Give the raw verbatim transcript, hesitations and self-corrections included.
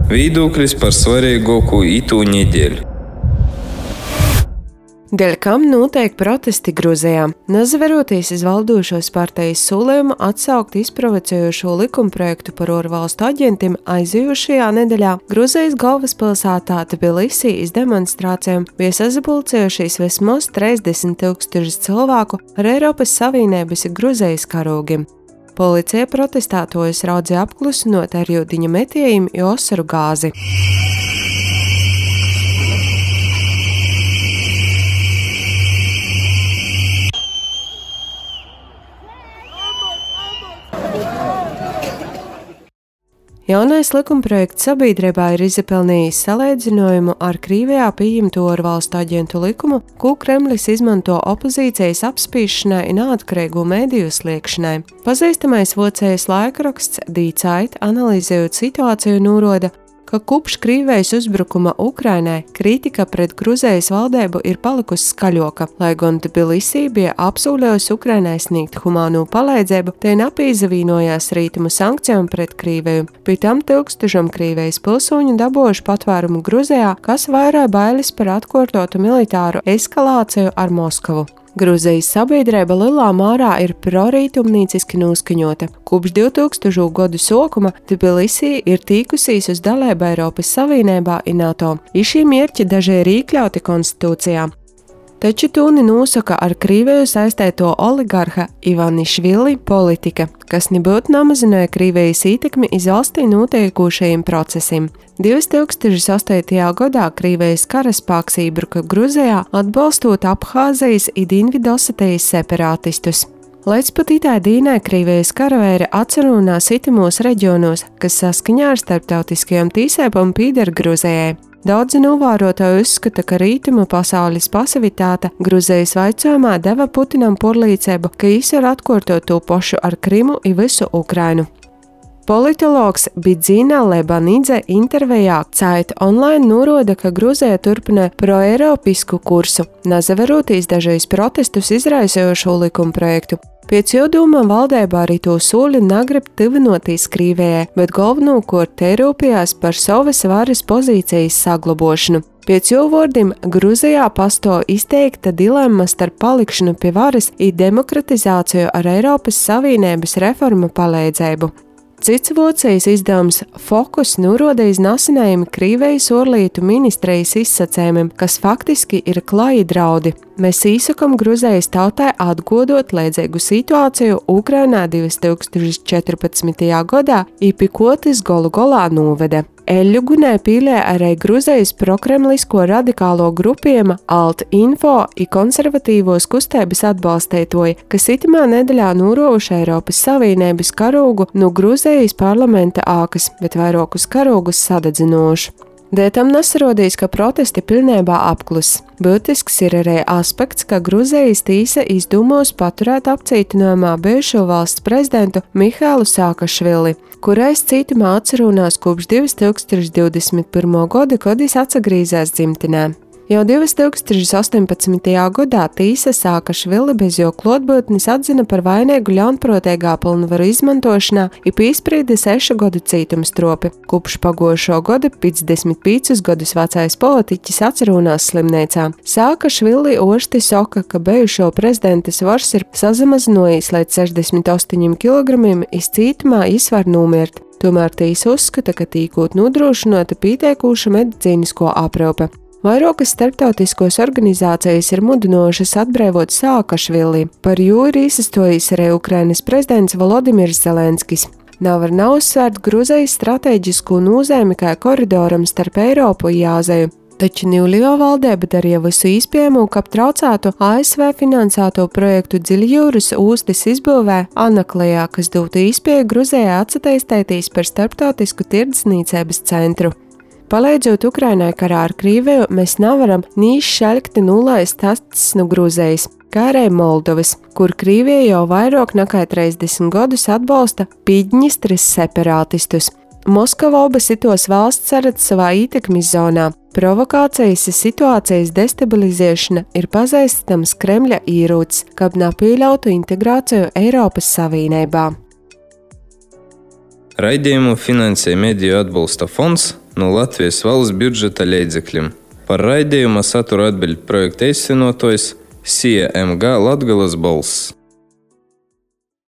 Viedoklis par svarīgāko itū nedēļu. Dēļ kam notiek protesti Gruzijā, nezaveroties iz valdošos partijas solījumu atsaukt izprovocējošo likumprojektu par ārvalstu aģentiem, aizejošajā nedēļā Gruzijas galvaspilsētā Tbilisī iz demonstrācijām bija sazapulcējušies vismaz trīsdesmit tūkstoši cilvēku ar Eiropas Savienības Gruzijas karogiem. Policija protestētojus raudzīja apklusinot ar jūdiņa metējiem i osaru gāzi. Jaunais likumprojekts sabiedrībā ir izpelnījis salīdzinājumu ar Krievijā pieņemto ārvalstu aģentu likumu, ko Kremlis izmanto opozīcijas apspīšanai un neatkarīgu mediju sliekšanai. Pazīstamais vācijas laikraksts Die Zeit, analizējot situāciju, norāda, ka kopš Krievijas uzbrukuma Ukrainai kritika pret Gruzijas valdību ir palikusi skaļoka, lai gan Tbilisī bija apsolījusi Ukrainai sniegt humāno palīdzību, te napīzavīnojās rītumu sankcijām pret Krieviju. Pie tam tūkstošiem Krievijas pilsoņu dabūjuši patvērumu Gruzijā, kas vairāja bailes par atkārtotu militāru eskalāciju ar Moskavu. Gruzijas sabiedrība lielā mērā ir prorītumnīciski noskaņota. Kopš divtūkstošo gadu sākuma Tbilisī ir tīkusīs uz dalību Eiropas Savienībā un NATO. I šī mērķi daži ir iekļauti konstitūcijā. Taču tūni nosaka ar Krieviju saistēto oligarha Ivanišvili politika, kas nebūtu namazināja Krievijas ietekmi iz valstī notiekošajiem procesiem. divi tūkstoši astotajā gadā Krievijas karaspēks iebruka Gruzijā, atbalstot Abhāzijas un Dienvidosetijas separātistus. Līdz pat itai dīnai Krievijas karavēri atcerunās itimos reģionos, kas saskaņā ar starptautiskajām tīsēpām pīder Gruzijai. Daudzi novērotāji uzskata, ka rītumu pasaules pasivitāte Gruzijas vaicojumā deva Putinam porlīdzību, ka viņš var atkārtot to pašu ar Krimu un visu Ukrainu. Politologs Bidzina Lebanidze intervijā Zeit online norāda, ka Gruzija turpina proeiropisku kursu, nezaveroties dažreiz protestus izraisojošo likumprojektu. Pēc jodūma valdībā arī to soli negrib tuvinoties Krievijai, bet galvenokārt te rūpējās par savas varas pozīcijas saglabošanu. Pēc jo vārdiem Gruzijā pastāv izteikta dilemma starp palikšanu pie varas un demokratizāciju ar Eiropas Savienības reformu palīdzību. Cits Vācijas izdevums Fokus norāda iz nesenajiem Krievijas ārlietu ministrijas izsacējumiem, kas faktiski ir klaji draudi. Mēs īsakam Gruzijas tautai atgodot līdzīgu situāciju Ukrainā divi tūkstoši četrpadsmitajā gadā, i pie ko tas golu galā noveda. Eļļu gunē pīlē arī Gruzijas prokremlisko radikālo grupiema Alt-Info i konservatīvos kustības atbalstētoji, kas itimā nedēļā norovuši Eiropas Savienības karogu no Gruzijas parlamenta ākas, bet vairākus karogus sadedzinoši. Dēļ tam nesarodīs, ka protesti pilnībā apklus. Būtisks ir arī aspekts, ka Gruzijas tīsa izdūmos paturēt apcietinājumā bijušo valsts prezidentu Mihailu Saakašvili, kurais cītumā atcerunās kopš divi tūkstoši divdesmit pirmā gada, kad viņš atsagrīzās dzimtenē. Jau divi tūkstoši astoņpadsmitajā gadā tīsa Saakašvili bez jo klātbūtnes atzina par vainīgu ļaunprātīgā pilnvaru izmantošanā un piesprieda sešu gadu cietumstropi. Kopš pagošo gada piecdesmit piecus gadus vecais politiķis atcerunās slimnīcā. Saakašvili ošti saka, ka bijušo prezidenta svars ir sazamazinājis līdz sešdesmit astoņiem kilogramiem, iz cietumā viņš var nomirt. Tomēr tīsa uzskata, ka tīkot nodrošinota pieteikuša medicīnisko aprūpe. Vairākas starptautiskos organizācijas ir mudinošas atbrīvot Saakašvili, par jo ir izsastojis arī Ukrainas prezidents Volodimirs Zelenskis. Nav var nav uzsvērt Gruzijas stratēģisko nozīmi kā koridoram starp Eiropu un Āziju. Taču Nīvlio valdība darīja visu iespējamo, ka aptraucētu A S V finansēto projektu Dziļjūras ostas izbūvē Anaklajā, kas dotu iespēju Gruzijai atsatīstēties par starptautisku tirdzniecības centru. Palīdzot Ukrainai karā ar Krieviju, mēs nevaram nī šaļkti nulaist acis no Gruzijas, kā arī Moldovas, kur Krievija jau vairāk nekā trīsdesmit gadus atbalsta Piļņistras separātistus. Moskava abas itos valsts saredz savā ietekmes zonā. Provokācijas un situācijas destabilizēšana ir pazīstams Kremļa ierocis, kad nepieļautu integrāciju Eiropas Savienībā. Raidījumu finansē Mediju atbalsta fonds no Latvijas valsts budžeta līdzekļiem. Par raidījuma satura atbild projekta īstenotājs S I A M G Latgales balss.